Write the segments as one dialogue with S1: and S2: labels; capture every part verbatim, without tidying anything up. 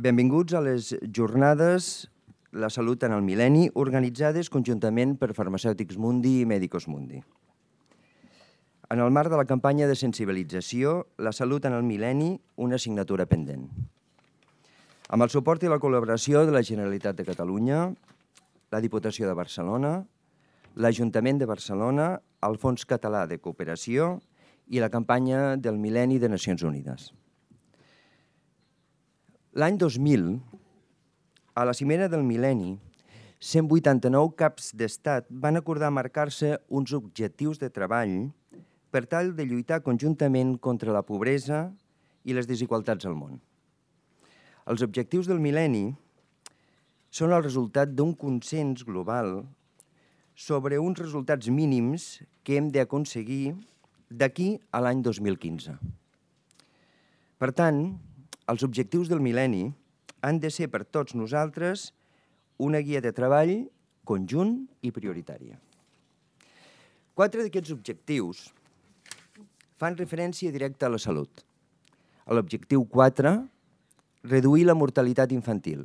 S1: Benvinguts a les jornades La Salut en el Mil·lenni, organitzades conjuntament per Farmacèutics Mundi i Medicos Mundi. En el marc de la campanya de sensibilització La Salut en el Mil·lenni, una assignatura pendent. Amb el suport i la col·laboració de la Generalitat de Catalunya, la Diputació de Barcelona, l'Ajuntament de Barcelona, el Fons Català de Cooperació i la campanya del Mil·lenni de Nacions Unides. L'any dos mil, a la cimera del mil·lenni, cent vuitanta-nou caps d'estat van acordar marcar-se uns objectius de treball per tal de lluitar conjuntament contra la pobresa i les desigualtats al món. Els objectius del mil·lenni són el resultat d'un consens global sobre uns resultats mínims que hem d'aconseguir d'aquí a l'any dos mil quinze. Per tant, els objectius del mil·lenni han de ser per tots nosaltres una guia de treball conjunt i prioritària. Quatre d'aquests objectius fan referència directa a la salut. A l'objectiu quatre, reduir la mortalitat infantil.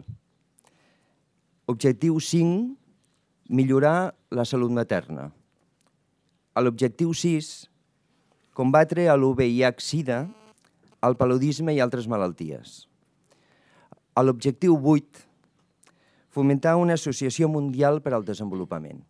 S1: Objectiu cinc, millorar la salut materna. A l'objectiu sis, combatre l'U V I H SIDA, el paludisme i altres malalties. A l'objectiu vuit, fomentar una associació mundial per al desenvolupament.